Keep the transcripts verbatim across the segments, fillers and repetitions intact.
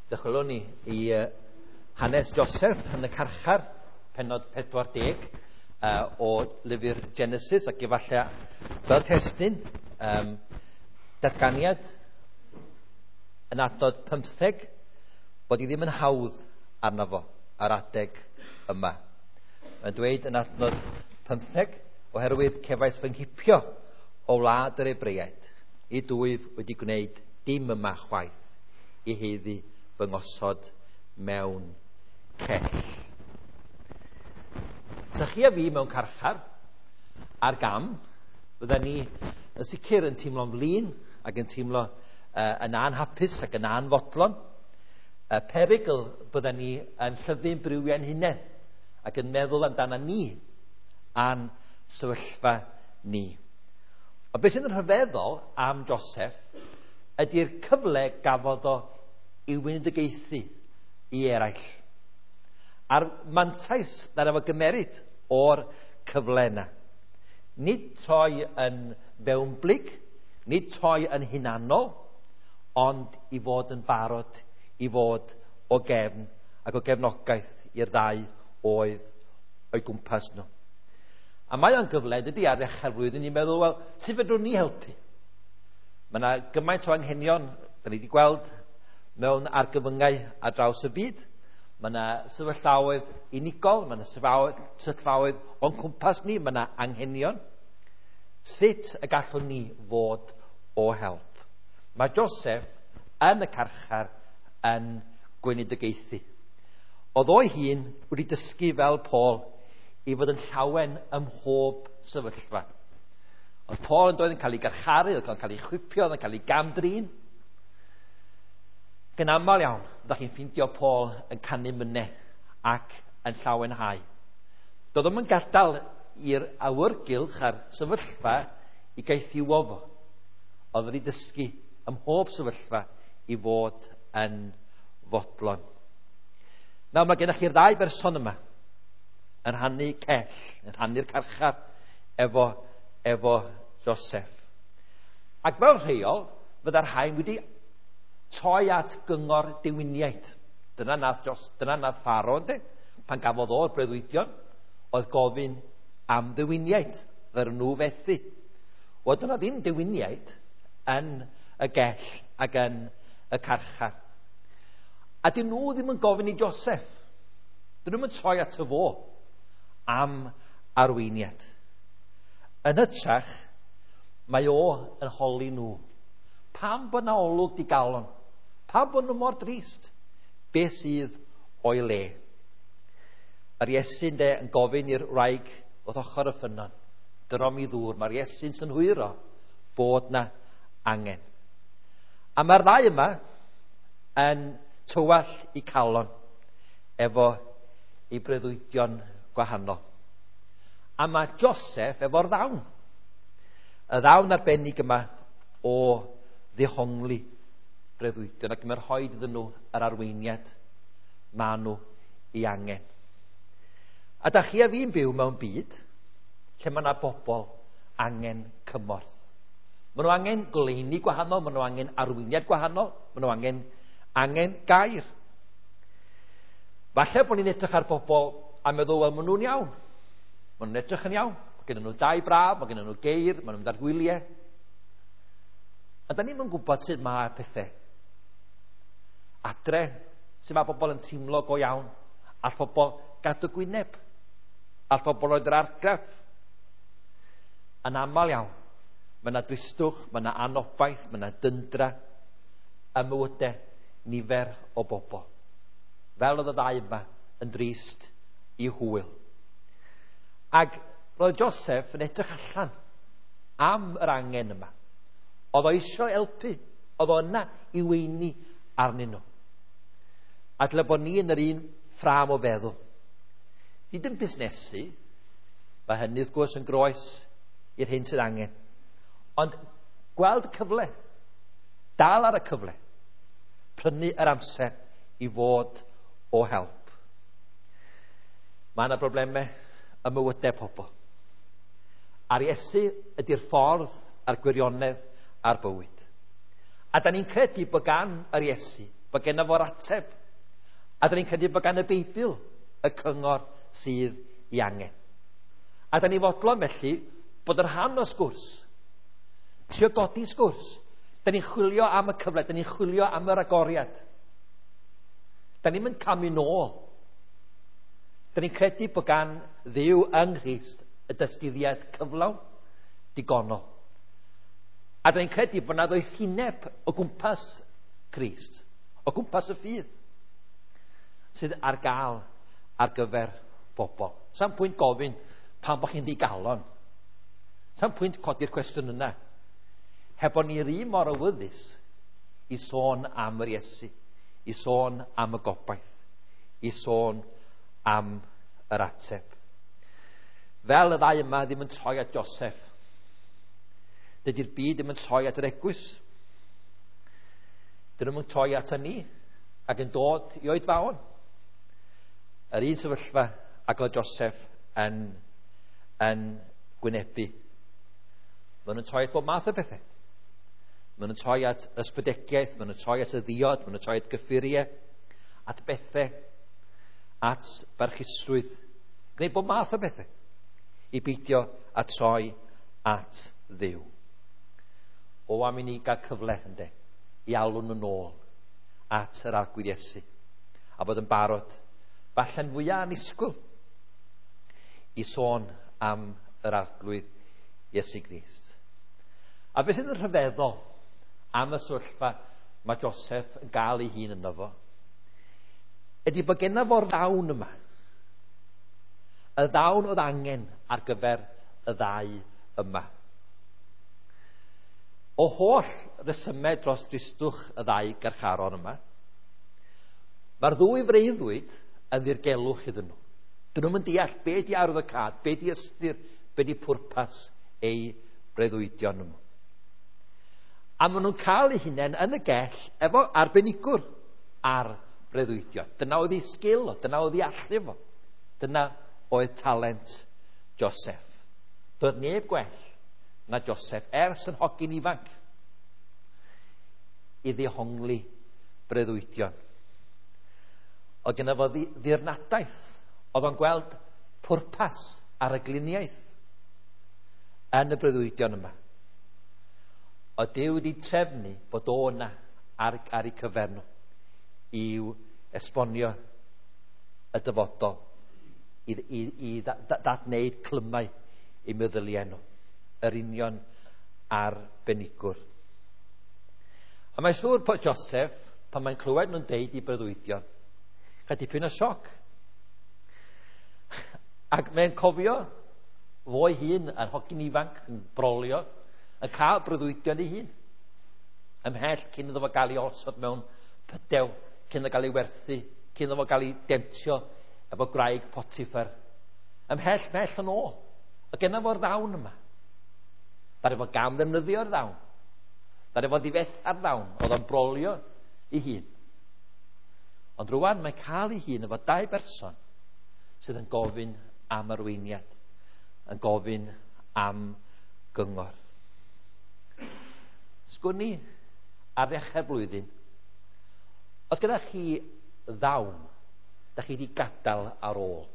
Dychwelwn ni i uh, hanes Joseph yn y carchar, pennod pedwar deg uh, o lyfr Genesis, ac efallai fel testun um, datganiad yn adnod pymtheg, bod i ddim yn hawdd arno fo ar adeg yma. Mae'n dweud yn adnod pymtheg, oherwydd cefais fy nghipio o wlad yr Hebreaid, i dwyf wedi gwneud dim yma chwaith, i heiddi fy ngosod mewn cell. Sa chi a fi mewn carchar ar gam, fydda ni yn sicr yn teimlo'n flin ac yn teimlo uh, yn anhapus ac yn anfodlon. Y perygl bydda ni yn llyfu'n briwiau'n hunain ac yn meddwl amdana ni a'n sefyllfa ni. Ond beth sy'n rhyfeddol am Joseph ydy'r cyfle gafodd o i weinidogaethu i eraill. A'r mantais na efo gymeryd o'r cyfle yna. Nid toi yn fewnblyg, nid toi yn hunanol, ond i fod yn barod i fod o gefn ac o gefnogaeth i'r ddau oedd o'i gwmpas nhw. A mae o'n gyfle, dydy, ar ddechrau'r flwyddyn i meddwl, wel, sut fedrwn ni helpu? Mae yna gymaint o anghenion, da ni wedi gweld mewn argyfyngau ar draws y byd. Mae yna sefyllfaoedd unigol, mae yna sefyllfaoedd o'n cwmpas ni, mae yna anghenion. Sut y gallwn ni fod o help? Mae Joseph yn y carchar yn gweinidogaethu. Oedd o'i hun wedi dysgu fel Paul i fod yn llawen ym mhob sefyllfa. Oedd Paul yn doedd yn cael ei garcharu, oedd yn cael ei chwipio, oedd yn cael ei gamdrin. Ac yn aml iawn, ydych chi'n ffeindio Paul yn canu mynau ac yn llawenhau. Doedd o'm yn gadael i'r awyrgylch a'r sefyllfa i gaethiwo fo. Oedd wedi dysgu ym mhob sefyllfa i fod yn fodlon. Nawr mae gennych chi'r ddau berson yma yn rhannu cell, yn rhannu'r carchar efo, efo Joseph. Ac fel rheol, fydda'r rhain wedi toi at gyngor dewiniaid. Dyna nath, Jos, dyna nath Pharaoh, ynddi? Pan gafodd o'r breuddwydion, oedd gofyn am ddewiniaid, ddaru nhw fethu. Wel, dyna ddim dewiniaid yn y gell ac yn y carchar. A dyn nhw ddim yn gofyn i Joseph. Dyn nhw'n troi at y fo am arweiniad. Yn hytrach, mae o yn holi nhw. Pam bod na olwg digalon? Pam bod nhw mor drist? Be sydd o'i le? Yr Iesu'n de yn gofyn i'r wraig wrth ochr y ffynnon, dyrom i ddŵr. Mae'r Iesu'n synhwyro bod na angen. A mae'r ddau yma yn tywallt i calon efo ei breuddwydion gwahanol. A mae Joseph efo'r ddawn. Y ddawn arbennig yma o ddehongli breuddwydion, ac mae'n rhoi iddyn nhw yr arweiniad maen nhw ei angen. A da chi a fi'n byw mewn byd lle mae yna bobl angen cymorth. Maen nhw angen goleuni gwahanol, maen nhw angen arweiniad gwahanol, maen nhw angen, angen gair. Falle bod ni'n edrych ar bobl a meddwl, wel, maen nhw'n iawn. Maen nhw'n edrych yn iawn. Mae gen nhw dau braf, mae gen nhw geir, maen nhw'n mynd ar gwyliau. A da ni'm yn gwybod sut mae pethau. Adre, sut mae bobl yn teimlo go iawn. All pobl gadw gwyneb. All pobl roed yr argraff. Yn aml iawn, mae yna dristwch, mae yna anobaith, mae yna dyndra ym mywydau nifer o bobl. Fel oedd y ddau yma yn drist i hwyl. Ac roedd Joseph yn edrych allan am yr angen yma. Oedd o eisiau helpu, oedd o yna i weini arnyn nhw. A dyle bod ni yn yr un ffrâm o feddwl. Nid yn busnesu, mae hynny wrth gwrs yn groes i'r hyn sydd angen. Ond gweld cyfle, dal ar y cyfle, prynu yr amser i fod o help. Mae yna broblemau ym mywydau pobl. A'r Iesu ydy'r ffordd a'r gwirionedd a'r bywyd. A da ni'n credu bod gan yr Iesu, Bod genna fo'r ateb. A da ni'n credu bod gan y Beibl y cyngor sydd i angen. A da ni fodlon felly bod yr rhan o sgwrs, trio godi sgwrs. Da ni'n chwilio am y cyfle, da ni'n chwilio am yr agoriad. Da ni'n mynd camu nôl. Da ni'n credu bod gan Dduw yng Nghrist y dysgyddiad cyflawn digonol. A da ni'n credu bod yna ddoethineb o gwmpas Crist, o gwmpas y ffydd, sydd ar gael ar gyfer bobl. Sa'm pwynt gofyn pam bod chi'n ddigalon. Sa'm pwynt codi'r cwestiwn yna. Heb bod ni'r un mor awyddus i sôn am yr Iesu, i sôn am y gobaith, i sôn am yr ateb. Fel y ddau yma ddim yn troi at Joseph, dydy'r byd ddim yn troi at yr eglwys. Dyn nhw'n troi at ni ac yn dod i oedfaon. Yr un sefyllfa ac oedd Joseph yn, yn gwynebu. Maen nhw'n troi at bob math o bethau. Maen nhw'n troi at ysbydegiaeth, maen nhw'n troi at y ddiod, maen nhw'n troi at gyffuriau, at bethau, at barchusrwydd. Gwneud bob math o bethau i beidio a troi at Dduw. O, am i ni gael cyfle, ynde, i alw nhw'n ôl at yr Arglwydd Iesu a bod yn barod, falle'n fwyaf annisgwyl, i sôn am yr Arglwydd Iesu Grist. A beth sydd yn rhyfeddol am y sefyllfa mae Joseph yn gael ei hun yno fo, ydy bod genna fo'r ddawn yma. Y ddawn oedd angen ar gyfer y ddau yma. O holl resymau dros dristwch y ddau garcharor yma, mae'r ddwy freuddwyd yn ddirgelwch iddyn nhw. Dyn nhw'n mynd deall be di arwyddocâd, be di ystyr, be di pwrpas eu breuddwydion nhw. A maen nhw'n cael eu hunain yn y gell efo arbenigwr ar breuddwydion. Dyna oedd ei sgil o, dyna oedd ei allu fo. Dyna oedd talent Joseph. Doedd neb gwell na Joseph ers yn hogyn ifanc i ddehongli breuddwydion. Oedd gynno fo ddirnadaeth, oedd o'n gweld pwrpas ar y gliniaeth yn y breuddwydion yma. Oedd Duw wedi trefnu bod o yna ar, ar eu cyfer nhw i'w esbonio y dyfodol, i, i, i ddadwneud clymau eu meddyliau nhw, yr union arbenigwr. A mae'n siŵr bod Joseph, pan mae'n clywed nhw'n deud i breuddwydion, cael dipyn o sioc. Ac mae'n cofio fo'i hun yn hogyn ifanc, yn brolio, yn cael breuddwydion ei hun. Ymhell cyn iddo fo gael ei osod mewn pydew, cyn iddo gael ei werthu, cyn iddo fo gael ei demtio efo gwraig Potiphar. Ymhell, mell yn ôl. A genna fo'r ddawn yma. Ddaru fo gam ddefnyddio'r ddawn. Ddaru fo ddifetha'r ddawn. Oedd o'n brolio ei hun. Ond rwan mae'n cael ei hun efo dau berson sydd yn gofyn am arweiniad, yn gofyn am gyngor. Sgwn i ar ddechrau'r blwyddyn, oedd gyda chi ddawn da chi wedi gadael ar ôl?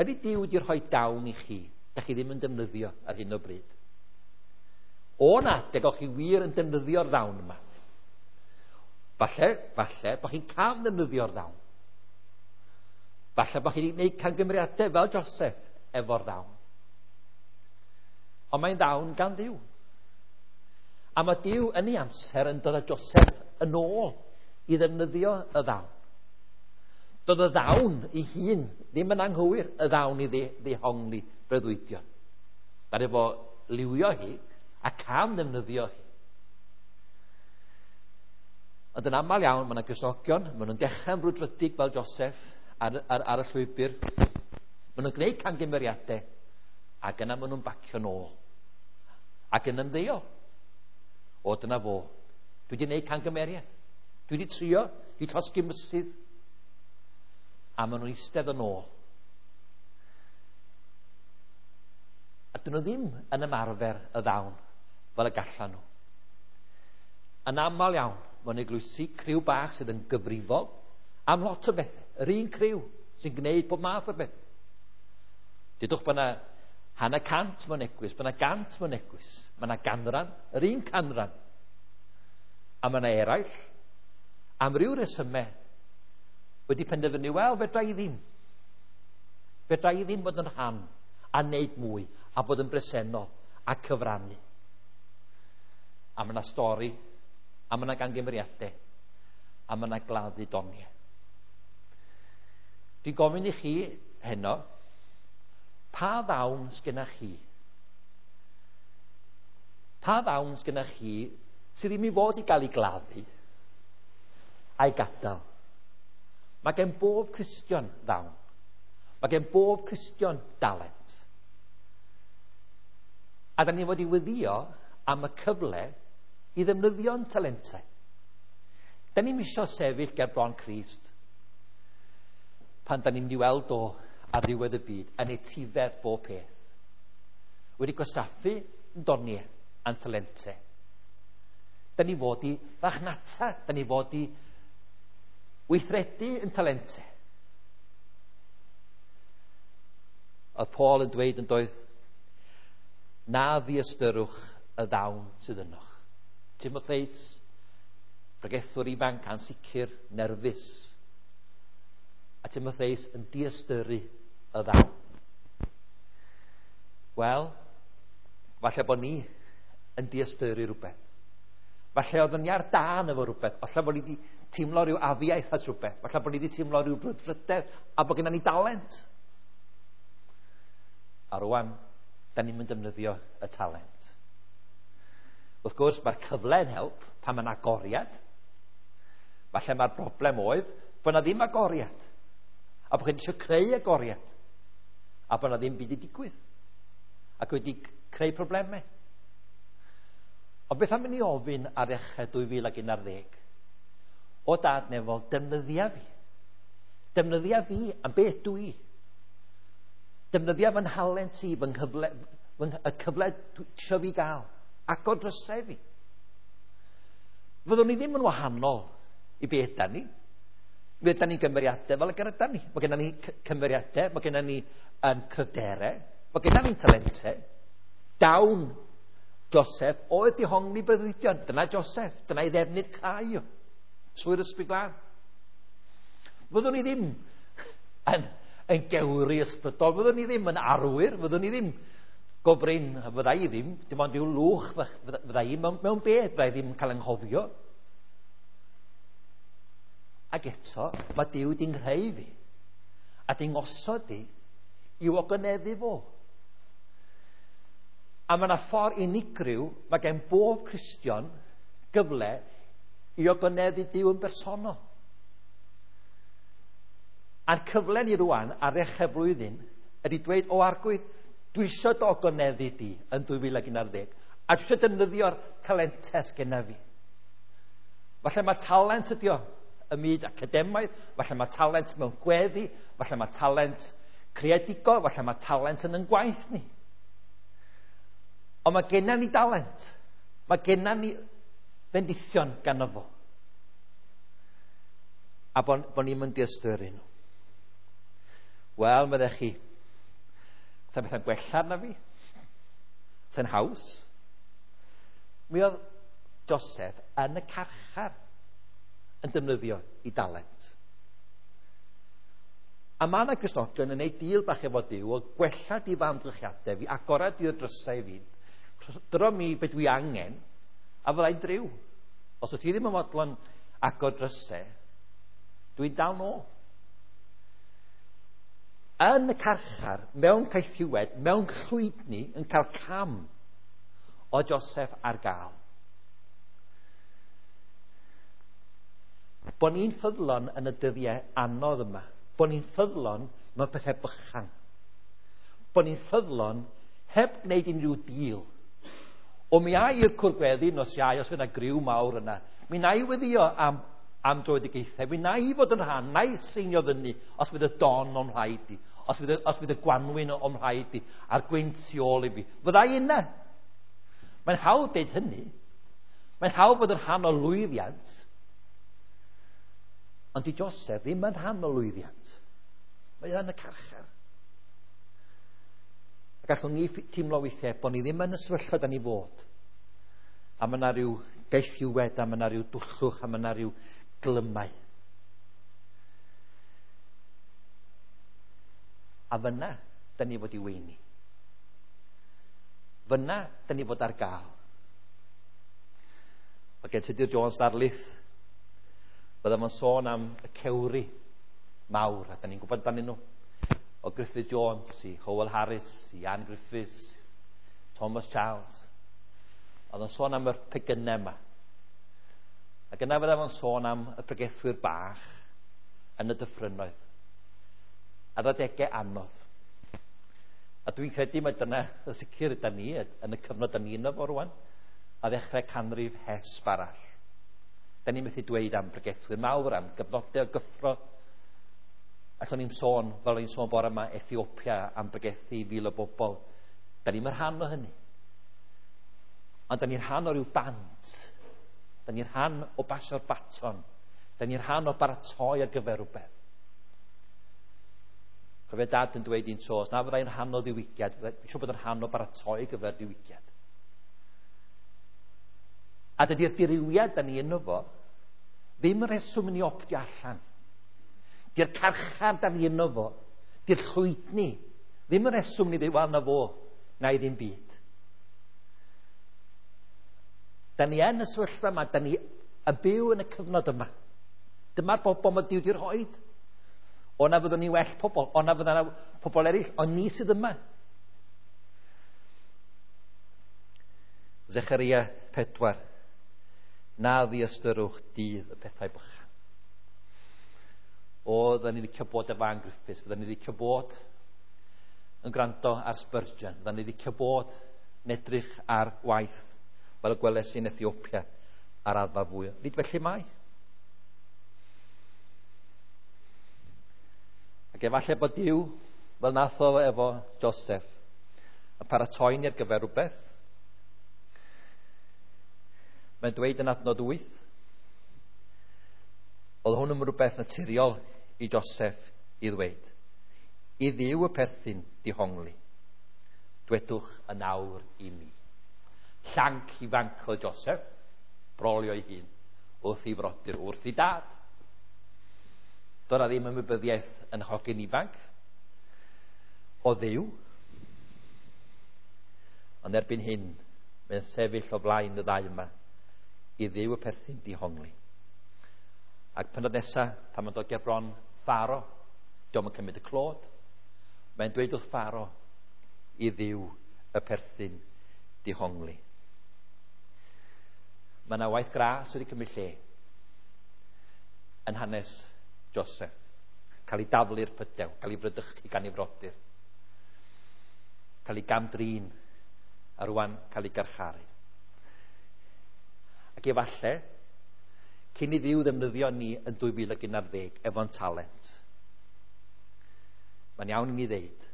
Ydy Duw wedi rhoi dawn i chi da chi ddim yn defnyddio ar hyn o bryd? O'n adeg o'ch chi wir yn defnyddio'r ddawn yma. Falle, falle bod chi'n cam ddefnyddio'r ddawn. Falle bod chi wedi gwneud camgymeriadau fel Joseph efo'r ddawn. Ond mae'n ddawn gan Dduw. A mae Duw yn ei amser yn dod â Joseph yn ôl i ddefnyddio y ddawn. Doedd y ddawn ei hun ddim yn anghywir, y ddawn i ddehongli breuddwydion. Ddaru fo liwio hi a cam ddefnyddio hi. Ond yn aml iawn, mae yna Gristnogion, maen nhw'n dechrau'n brwdfrydig fel Joseph ar, ar, ar y llwybr. Maen nhw'n gwneud camgymeriadau ac yna maen nhw'n bacio nôl ac yn ymddeol. O, dyna fo. Dwi wedi gwneud camgymeriad. Dwi wedi trio, dwi wedi llosgi mysydd. A maen nhw'n eistedd yn ôl. A dyn nhw ddim yn ymarfer y ddawn fel y gallan nhw. Yn aml iawn, mewn eglwysi criw bach sydd yn gyfrifol am lot o bethau. Yr un criw sy'n gwneud bob math o beth. Dudwch bod yna hanner cant mewn eglwys, bod yna gant mewn eglwys. Mae yna ganran, yr un canran. A mae yna eraill, am ryw resymau, wedi penderfynu, wel, fedra i ddim. Fedra i ddim bod yn rhan a wneud mwy a bod yn bresennol a cyfrannu. A mae yna stori, a mae yna gangymeriadau, a mae yna gladdu doniau. Dwi'n gofyn i chi heno, pa ddawn sgynna chi? Pa ddawn sgynna chi sydd ddim i fod i gael ei gladdu a'i gadael? Mae gen bob Cristion ddawn. Mae gen bob Cristion dalent. A da ni fod i weddïo am y cyfle i ddefnyddio'n talentau. Da ni'm isio sefyll ger bron Crist pan da ni'n mynd i weld o ar ddiwedd y byd yn etifedd bob peth. Wedi gwastraffu yn doniau a'n talentau. Da ni fod i farchnata, da ni fod i weithredu yn talentau. Oedd Paul yn dweud yn doedd, na ddiystyrwch y ddawn sydd ynoch. Timotheus, pregethwr ifanc ansicr, nerfus. A Timotheus yn diystyru y ddawn. Wel, falle bod ni yn diystyru rhywbeth. Falle oeddwn ni ar dân efo rhywbeth. Falle bod ni wedi teimlo rhyw afiaeth at rhywbeth. Falle bod ni wedi teimlo rhyw brwdfrydedd a bod gennym ni dalent. A rwan, da ni'n mynd defnyddio y talent. Wrth gwrs, mae'r cyfle yn help pan mae'n agoriad. Falle mae'r broblem oedd bod na ddim agoriad. A bod chi'n eisiau creu agoriad. A bod na ddim byd i digwydd. Ac wedi creu problemau. Ond beth am i ni ofyn ar ddechrau dwy fil ac un ar ddeg? O dad nefol, defnyddia fi. Defnyddia fi am beth dwi. Defnyddia fy nhalent i, fy nghyfle, fy, y cyfle isio fi gael. Agor drysau fi. Fyddwn ni ddim yn wahanol i beth da ni. Fe ydan ni'n gymeriadau fel y gyda ni. Mae gennym ni cymeriadau, mae gennym ni um, cryfderau, mae gennym ni'n talentau. Dawn Joseph oedd dihongli breuddwydion. Dyna Joseph, dyna ei ddefnydd crai o. Trwy'r Ysbryd Glân. Fyddwn ni ddim yn, yn gewri ysbrydol, fyddwn ni ddim yn arwyr, fyddwn ni ddim gofrin, fydda i ddim, dim ond i'w lwch fydda i mewn, mewn bed, fydda i ddim yn cael anghofio. Ac eto, mae Duw di'n nghreu fi a di'n ngosod i i'w ogoneddu fo. A mae yna ffordd unigryw, mae gen bob Cristion gyfle i ogoneddu Duw yn bersonol. A'r cyfle ni rwan ar ddechrau blwyddyn ydy dweud, o Arglwydd, dwi eisiau dy ogoneddu di yn dwy fil ac un ar ddeg, a dwi eisiau defnyddio'r talentau sgenna fi. Falle mae talent ydi o ym myd academaidd, falle mae talent mewn gweddi, falle mae talent creadigol, falle mae talent yn yn gwaith ni. Ond mae genna ni dalent. Mae genna ni fendithion ganddo fo. A bod bo ni'n mynd i ystyru nhw. Wel, meddech chi, sa'n bethau'n gwella arna fi? Sa'n haws? Mi oedd Joseph yn y carchar yn defnyddio i dalent. A mae yna Gristnogion yn gwneud deal bach efo Duw o gwella di fy amgylchiadau fi, agorad i'r drysau fi, dyro mi be dwi angen, a fyddai'n driw. Os wyt ti ddim yn fodlon agor drysau, dwi'n dal nôl. Yn y carchar, mewn caethiwed, mewn llwydni, yn cael cam o Joseph ar gael. Bo ni'n ffyddlon yn y dyddiau anodd yma. Bo ni'n ffyddlon mewn pethau bychan. Bo ni'n ffyddlon heb wneud unrhyw deal. O mi ai i'r cwrgweddi nos Iau, os fydd yna griw mawr yna. Mi na i weddio am, am dröedigaethau. Mi na i fod yn rhan, na i seinio fyny os fydd y don o'm rhaid i. Os fydd y, os fydd y gwanwyn o'm rhaid i, a'r gwynt tu ôl i fi. Fydda i yna. Mae'n hawdd deud hynny. Mae'n hawdd bod yn rhan o lwyddiant. Ond di Joseph ddim yn rhan o lwyddiant. Mae yn y carchar. Ac allwn ni teimlo weithiau bod ni ddim yn y sefyllfa da ni fod. A mae yna rhyw gaethiwed, a mae yna rhyw dwllwch, a mae yna rhyw glymau. A fyna, da ni fod i weini. Fyna, da ni fod ar gael. Mae gen Tudur Jones ddarlith, bydda fo'n sôn am y cewri mawr, a da ni'n gwybod amdanyn nhw. O Griffith Jones i Howell Harris, i Ann Griffiths, Thomas Charles. Oedd o'n sôn am yr pegynau yma. Ac yna fydda fo'n sôn am y pregethwyr bach yn y dyffrynnoedd. Ar adegau anodd. A dwi'n credu mai dyna y sicr yda ni yn y cyfnod da ni yno fo rwan, a ddechrau canrif hesb arall. Da ni'n methu dweud am bregethwyr mawr, am gyfnodau o gyffro. Allwn ni'n sôn, fel o'n i'n sôn bore yma, Ethiopia am bregethu fil o bobl. Da ni'n rhan o hynny. Ond da ni'n rhan o ryw bant. Da ni'n rhan o basio'r baton. Da ni'n rhan o baratoi ar gyfer rhywbeth. Cofio dad yn dweud un tro, os na fyddai'n rhan o ddiwygiad, dwi'n siŵr bod yn rhan o baratoi ar gyfer diwygiad. A dydy'r dirywiad da ni yno fo, ddim yn rheswm i ni optio allan. Di'r carchar da ni yno fo, di'r llwydni, ddim yn rheswm ni ddweud, wel na fo, na i ddim byd. Da ni yn y sefyllfa yma, da ni yn byw yn y cyfnod yma. Dyma'r bobl mae Duw wedi rhoid. O na fyddwn ni well pobl, o na fyddwn ni pobl eraill, ond ni sydd yma. Zecharia pedwar. Na ddiystyrwch dydd y pethau bychan. O, fydden ni'n licio bod efo Ann Griffiths, fydden ni'n licio bod yn gwrando ar Spurgeon, fydden ni'n licio bod yn edrych ar waith fel y gweles i'n Ethiopia ar raddfa fwy. Nid felly mae. Ac efallai bod Duw, fel nath o efo Joseph, yn paratoi ni ar gyfer rhywbeth. Mae'n dweud yn adnod wyth, oedd hwn yn rhywbeth naturiol i Joseph i ddweud. I Dduw y perthyn dihongli, dwedwch yn awr i mi. Llanc ifanc oedd Joseph, brolio ei hun, wrth ei frodyr, wrth ei dad. Doedd 'na ddim ymwybyddiaeth yn hogyn ifanc o Dduw. Ond erbyn hyn, mae'n sefyll o flaen y ddau yma i Dduw y perthyn dihongli. Ac pennod nesaf, pan mae'n dod ger bron Pharo, dio'm yn cymryd y clod, mae'n dweud wrth Pharo i Dduw y perthyn dihongli. Mae yna waith gras wedi cymryd lle yn hanes Joseph. Cael ei daflu'r pydew, cael ei frydychu gan ei frodyr, cael ei gamdrin, a rwan cael ei garcharu. Ac efallai, cyn i Dduw ddefnyddio ni yn dwy fil ac un ar ddeg efo'n talent, mae'n iawn i ni ddeud,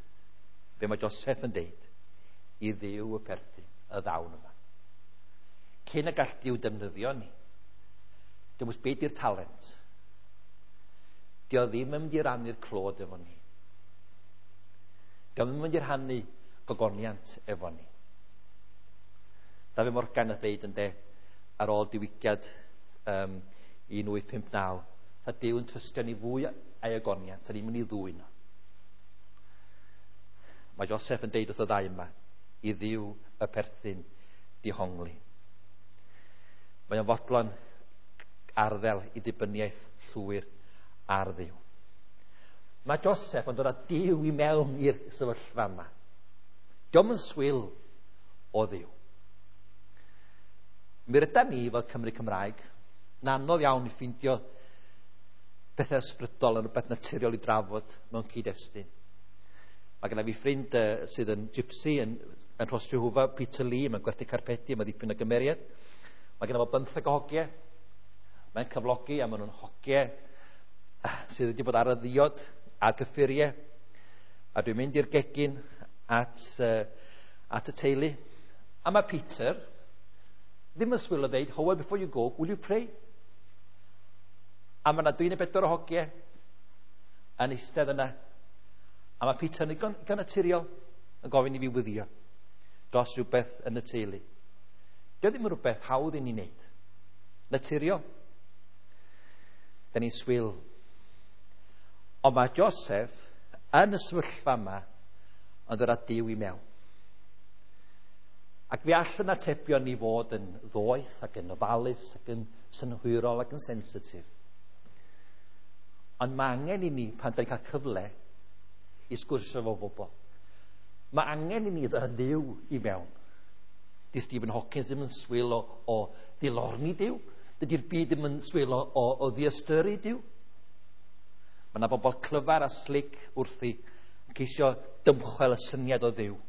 be mae Joseph yn deud, i Dduw y perthyn, y ddawn yma. Cyn y gall Duw defnyddio ni, dim ots be di'r talent, dio ddim yn mynd i rannu'r clod efo ni. Dio ddim yn mynd i rhannu gogoniant efo ni. Dafydd Morgan yn dweud yn de, ar ôl diwygiad um, un wyth pump naw, sa Duw yn trystio ni fwy a'i ogoniant, sa ni'n mynd i ddwyn o. Mae Joseph yn deud wrth y ddau yma, i Dduw y perthyn dihongli. Mae o'n fodlon arddel i ddibyniaeth llwyr ar Dduw. Mae Joseph yn dod â Duw i mewn i'r sefyllfa yma. Dio'm yn swil o Dduw. Mi rydan ni fel Cymry Cymraeg yn anodd iawn i ffeindio pethau ysbrydol yn rhywbeth naturiol i drafod mewn cyd-destun. Mae genna fi ffrind uh, sydd yn gypsy yn, yn Rhos-Jehwfa, Peter Lee, mae'n gwerthu carpedi, mae'n ddipyn o gymeriad. Mae genna fo bymtheg o hogiau. Mae'n cyflogi a maen nhw'n hogiau sydd wedi bod ar y ddiod a'r gyffuriau. A dwi'n mynd i'r gegin at, uh, at y teulu. A mae Peter ddim yn swil o ddeud, Howell, before you go, will you pray? A mae yna dwy neu bedwar o hogiau yn eistedd yna. A mae Peter yn ddigon, ddigon naturiol yn gofyn i fi wyddio dros rhywbeth yn y teulu. Dio ddim yn rhywbeth hawdd i ni wneud. Naturiol. Da ni'n swil. Ond mae Joseph yn y sefyllfa yma yn dod â Duw i mewn. Ac fe all yn atebion ni fod yn ddoeth ac yn ofalus ac yn synhwyrol ac yn sensitif. Ond mae angen i ni, pan da ni'n cael cyfle i sgwrsio efo bobl, mae angen i ni ddod â Dduw i mewn. Di Stephen Hawking ddim yn swil o, o ddilorni Duw. Dydy'r byd ddim yn swil o, o, o ddiystyru Duw. Mae yna bobl clyfar a slic wrthi yn ceisio dymchwel y syniad o Dduw.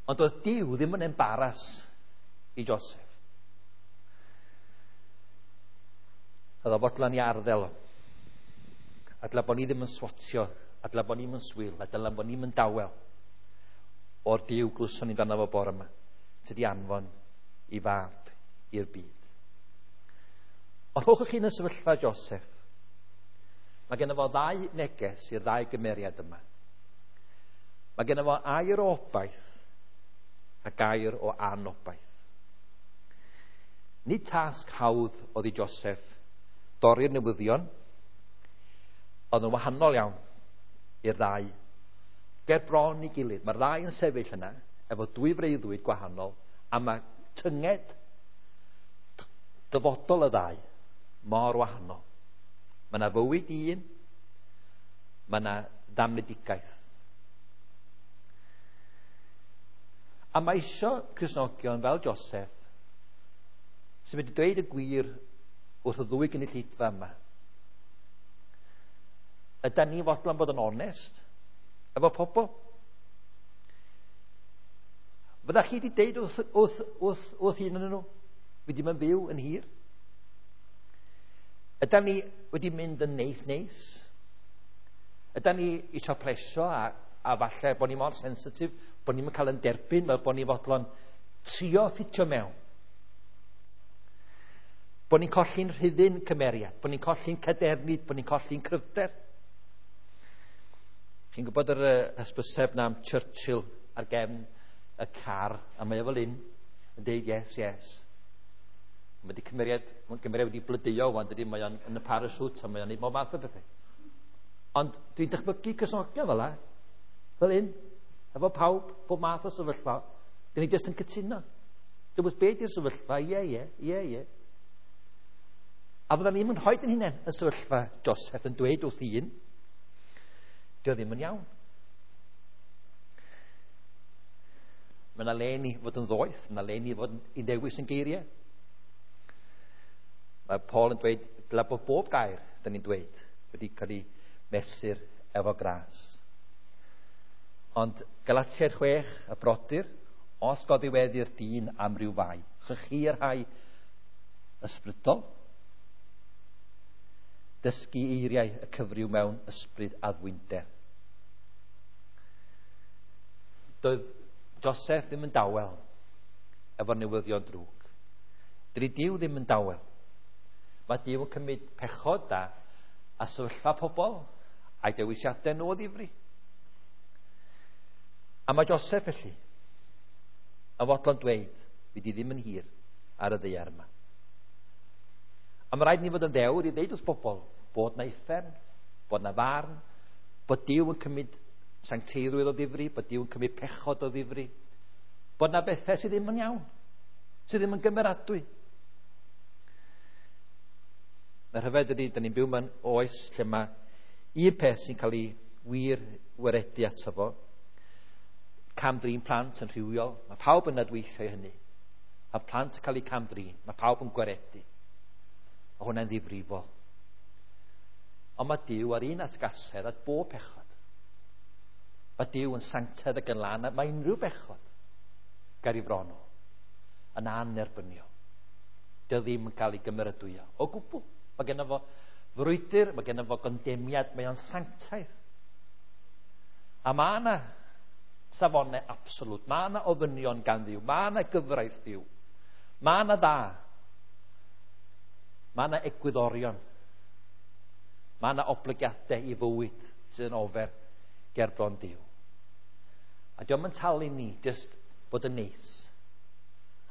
Ond oedd Duw ddim yn embaras i Joseph. Oedd o fodlon i arddel o. A dyla bod ni ddim yn swatio, a dyla bod ni'n swil, a dyla bod ni'n dawel o'r Duw glwson ni'n dan fo bore yma, sydd wedi anfon i fab i'r byd. Ond rhowch chi yn y sefyllfa Joseph. Mae genno fo ddau neges i'r ddau gymeriad yma. Mae genno fo air o obaith a gair o anobaith. Nid tasg hawdd oedd i Joseph dorri'r newyddion, oedd yn wahanol iawn i'r ddau. Ger bron i gilydd. Mae'r ddau yn sefyll yna efo dwy freuddwyd gwahanol, a mae tynged dyfodol y ddau mor wahanol. Mae yna fywyd un, mae yna ddamnedigaeth. A mae isio Cristnogion fel Joseph sy'n wedi dweud y gwir wrth y ddwy gynulleidfa yma. Ydan ni fodlon bod yn onest efo pobl? Fydda chi wedi deud wrth, wrth, wrth, wrth un yn nhw? Fi ddim yn byw yn hir. Ydan ni wedi mynd yn neis neis? Ydan ni eisiau plesio a, a falle bod ni mor sensitif, bod ni'n cael yn derbyn, fel bod ni fodlon trio ffitio mewn. Bod ni'n colli'n rhyddyn cymeriad, bod ni'n colli'n cadernid, bod ni'n colli'n cryfder. Chi'n gwybod yr hysbyseb na am Churchill ar gefn y car, a mae o fel un yn deud yes, yes. Mae wedi cymeriad, mae cymeriad wedi blodeuo wan, dydy, mae o'n yn y parachute a mae o'n neud bob math o bethau. Ond dwi'n dychmygu Cristnogion fel la, fel un, efo pawb, bob math o sefyllfa, dyn ni jyst yn cytuno. Dwi'n gwybod beth yw'r sefyllfa, ie, ie, ie, ie. A fydda ni'n rhoi yn hunain y sefyllfa Joseph yn dweud wrth un, dio ddim yn iawn. Mae yna le ni fod yn ddoeth, mae yna le ni fod i ddewis yn geiriau. Mae Paul yn dweud, dyla bod bob gair, da ni'n dweud, wedi cael ei mesur efo gras. Ond Galatiaid chwech, y brodyr, os goddiweddi'r dyn am ryw fai, chychi'r rhai ysbrydol, dysgu eiriau y cyfryw mewn ysbryd addfwynder. Doedd Joseph ddim yn dawel efo'r newyddion drwg. Dydy Duw ddim yn dawel. Mae Duw yn cymryd pechod a, a sefyllfa pobl a'i dewisiadau nhw o ddifri. A mae Joseph felly yn fodlon dweud, fi di ddim yn hir ar y ddaear yma. A mae rhaid ni fod yn ddewr i ddeud wrth bobl bod na uffern, bod na farn, bod Duw yn cymryd sancteiddrwydd o ddifri, bod Duw yn cymryd pechod o ddifri, bod na bethau sydd ddim yn iawn, sydd ddim yn gymeradwy. Mae rhyfedd ydy, da ni'n byw mewn oes lle mae un peth sy'n cael ei wir waredu ato fo, cam-drin plant yn rhywiol, mae pawb yn adweithio i hynny. Mae plant yn cael eu cam-drin, mae pawb yn gwaredu. A hwnna'n ddifrifol. Ond mae Duw ar un atgasedd at bob pechod. Mae Duw yn sanctaidd ac yn lân, a mae unrhyw bechod ger ei fron o yn anerbyniol. Dio ddim yn cael ei gymeradwyo o gwbl. Mae genno fo frwydr, mae genno fo gondemiad, mae o'n sanctaidd. A mae yna safonau absolwt, mae yna ofynion gan Dduw, mae yna gyfraith Duw, mae yna dda Mae yna egwyddorion. Mae yna oblygiadau i fywyd sydd yn ofer ger bron Duw. A dio'm yn talu ni jyst bod yn neis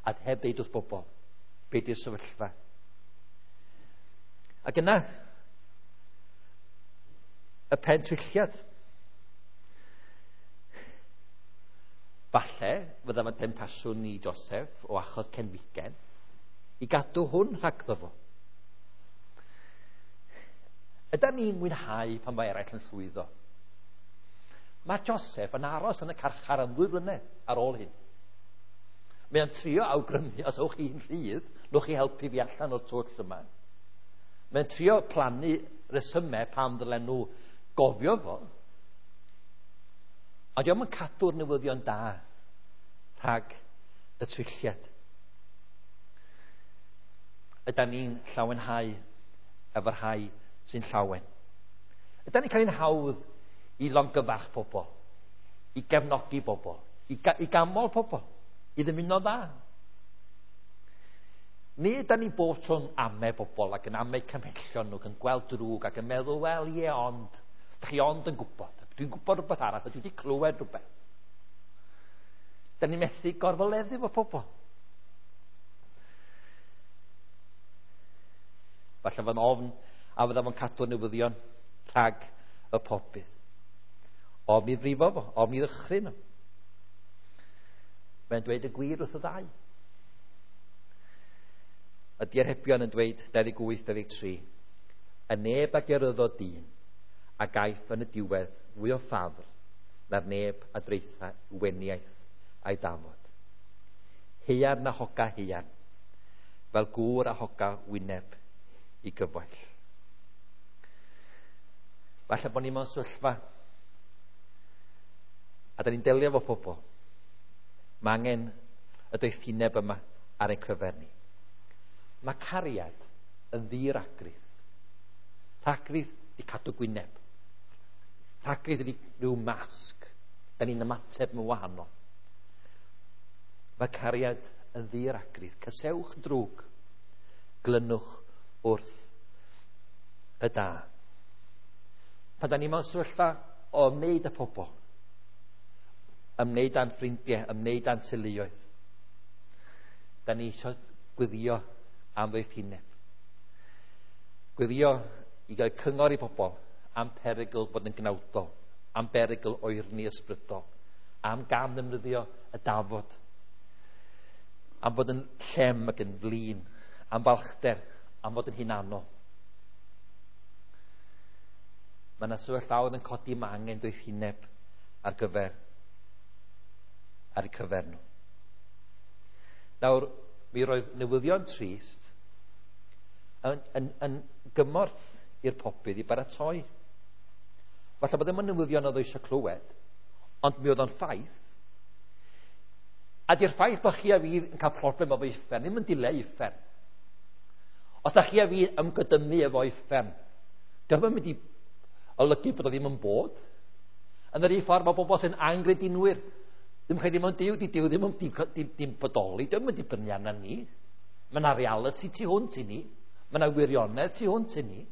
a heb ddeud wrth bobl be di'r sefyllfa. Ac yna, y pentwylliad. Falle fydda fo'n demtasiwn i Joseph o achos cenfigen i gadw hwn rhagddo fo. Ydan ni'n mwynhau pan mae eraill yn llwyddo? Mae Joseph yn aros yn y carchar am ddwy flynedd ar ôl hyn. Mae o'n trio awgrymu, os ewch chi'n rhydd, newch chi helpu fi allan o'r twll yma. Mae'n trio plannu resymau pam ddylen nhw gofio fo. Ond dio'm yn cadw'r newyddion da rhag y twylliad. Ydan ni'n llawenhau efo'r rhai sy'n llawen? Ydan ni'n cael ein hawdd i longyfarch pobl, i gefnogi pobl, i, ga i gamol pobl, i ddymuno dda? Neu ydan ni bob tro'n ame bobl ac yn ame cymhellion nhw, ac yn gweld drwg ac yn meddwl, wel ie ond, ydych chi ond yn gwybod, dwi'n gwybod rhywbeth arall, a dwi wedi clywed rhywbeth. Da ni'n methu gorfoleddu efo pobl. Falle fo'n ofn a fydda fo'n cadw'r newyddion rhag y pobydd. Ofn i frifo fo, ofn i ddychryn nhw. Mae'n dweud y gwir wrth y ddau. Y diarhebion yn dweud dau ddeg wyth dau ddeg tri, y neb a geryddo dyn a gaiff yn y diwedd fwy o ffafr na'r neb a draetha weniaith a'i dafod. Haearn a hoga haearn, fel gŵr a hoga wyneb i gyfoell. Falle bod ni mewn sefyllfa a da ni'n delio efo pobl. Mae angen y doethineb yma ar ein cyfer ni. Mae cariad yn ddi-ragrith. Rhagrith di cadw gwyneb. Rhagrith ydi rhyw masg. Da ni'n ymateb mewn wahanol. Mae cariad yn ddi-ragrith. Cysewch drwg. Glynwch wrth y da. Pan da ni mewn sefyllfa o ymwneud â pobl, ymwneud â'n ffrindiau, ymwneud â'n teuluoedd, da ni eisiau gweddio am ddoethineb. Gweddio i gael cyngor i bobl am perygl bod yn gnawdol, am berygl oerni ysbrydol, am gam ddefnyddio y dafod, am bod yn llem ac yn flin, am balchder, am fod yn hunanol. Mae yna sefyllfaoedd yn codi, mae angen doethineb ar gyfer ar eu cyfer nhw. Nawr, mi roedd newyddion trist yn, yn, yn gymorth i'r pobydd i baratoi. Falle bod ddim yn newyddion oedd eisiau clywed, ond mi oedd o'n ffaith. A di'r ffaith bod chi a fi yn cael problem efo uffern, ddim yn dileu uffern. Os da chi a fi ymgydymu efo uffern, dio'm yn mynd i olygu bod o ddim yn bod. Yn yr un ffordd mae bobl sy'n angredinwyr, ddim credu mewn Duw, di Duw ddim yn dim, dim bodoli, ddim yn dibynnu arna ni. Mae yna reality tu hwnt i ni. Mae yna wirionedd tu hwnt i ni.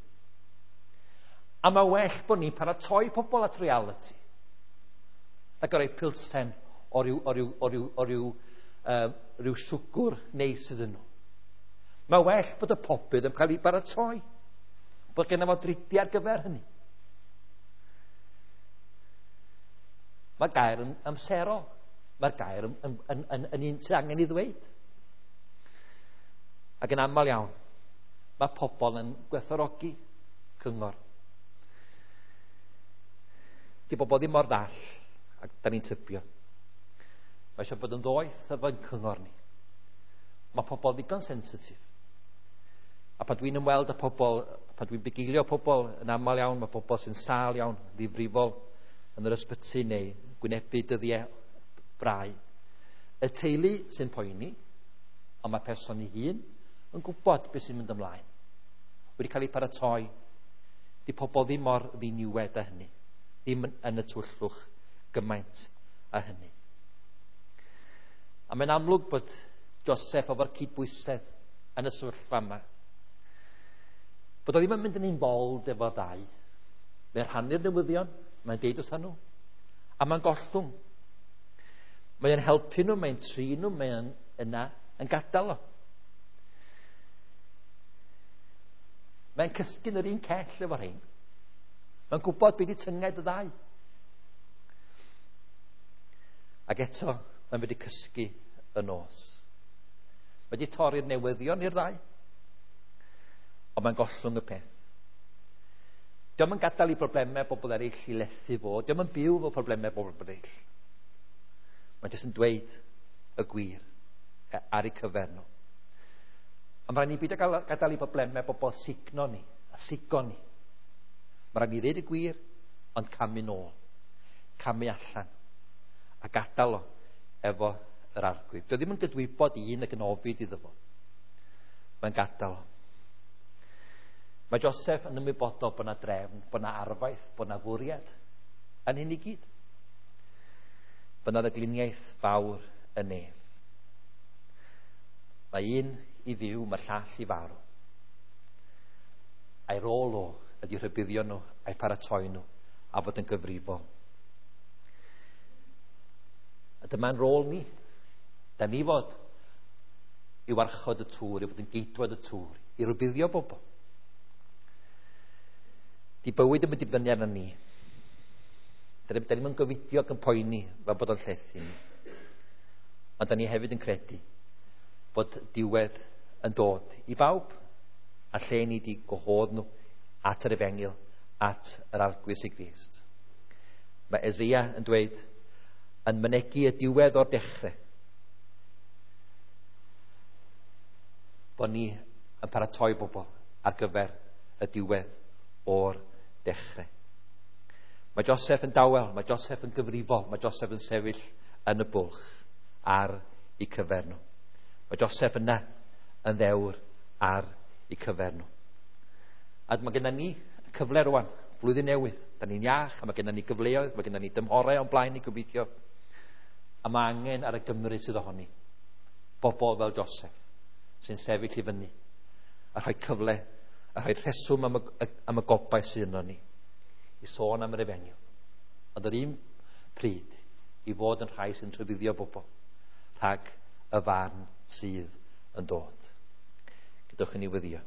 A mae well bod ni'n paratoi pobl at reality. Ac o roi pilsen o ryw, o ryw, o ryw, o ryw, uh, ryw siwgr neis iddyn nhw. Mae well bod y pobydd yn cael ei baratoi. Bod genna fo dridiau ar gyfer hynny. Mae gair yn amserol. Mae'r gair yn, yn, yn, yn, yn un sydd angen i ddweud. Ac yn aml iawn, mae pobl yn gwerthfawrogi cyngor. Di bobl ddim mor ddall, ac da ni'n tybio. Mae eisiau bod yn ddoeth efo'n cyngor ni. Mae pobl ddigon sensitif. A pan dwi'n ymweld â pobl, pan dwi'n bugeilio pobl, yn aml iawn, mae pobl sy'n sâl iawn, ddifrifol, yn yr ysbyty neu gwynebu dyddiau brau. Y teulu sy'n poeni, ond mae person ei hun yn gwybod beth sy'n mynd ymlaen. Wedi cael ei paratoi. Di pobl ddim mor ddiniwed â hynny. Ddim yn y tywyllwch gymaint â hynny. A mae'n amlwg bod Joseph efo'r cydbwysedd yn y sefyllfa yma. Bod o ddim yn mynd yn involved efo ddau. Mae'n rhannu'r newyddion, mae'n deud wrthyn nhw, a mae'n gollwng. Mae'n helpu nhw, mae'n trin nhw, mae'n yna yn gadael o. Mae'n cysgu'n yr un cell efo rhain. Mae'n gwybod beth i tynged y ddau. Ac eto, mae'n wedi cysgu y nos. Mae wedi torri'r newyddion i'r ddau. Ond mae'n gollwng y peth. Dio'm yn gadael i broblemau bobl eraill i lethu fo. Dio'm yn byw efo problemau bobl eraill. Mae'n jyst yn dweud y gwir ar eu cyfer nhw. Ond mae rhaid ni beidio gadael i broblemau bobl signo ni, a sigo ni. Mae rhaid ni ddeud y gwir, ond camu nôl, camu allan, a gadael o efo yr Arglwydd. Dio ddim yn gydwybod un ac yn ofid iddo fo. Mae'n gadael o. Mae Joseph yn ymwybodol bod yna drefn, bod yna arfaeth, bod yna fwriad yn hyn i gyd. Bod yna ddagluniaeth fawr y nef. Mae un i fyw, mae'r llall i farw. A'i rôl o ydy rhybuddio nhw, a'i paratoi nhw, a bod yn gyfrifol. A dyma'n rôl ni. Da ni fod i warchod y tŵr, i fod yn geidwad y tŵr, i rybuddio bobl. Di bywyd yn dibynnu arno ni. Da ni'n mynd gofidio ac yn poeni fel bod o'n llethu ni. Ond da ni hefyd yn credu bod diwedd yn dod i bawb, a lle ni di gwahodd nhw at yr efengyl, at yr Arglwydd Iesu Grist. Mae Eseia yn dweud, yn mynegi y diwedd o'r dechrau, bod ni yn paratoi bobl ar gyfer y diwedd o'r dechrau. Mae Joseph yn dawel, mae Joseph yn gyfrifol, mae Joseph yn sefyll yn y bwlch ar eu cyfer nhw. Mae Joseph yna yn ddewr ar eu cyfer nhw. A mae gennym ni cyfle rwan, blwyddyn newydd. Da ni'n iach, a mae gennym ni gyfleoedd, mae gennym ni dymhorau o'n blaen ni gobeithio. A mae angen ar y Gymru sydd ohoni, bobl fel Joseph, sy'n sefyll i fyny, a rhoi cyfle, a rhoi rheswm am y, am y gobaith sydd yno ni, i sôn am yr efengyl. Ond yr un pryd, i fod yn rhai sy'n rhybuddio bobl rhag y farn sydd yn dod. Gadewch i ni weddïo.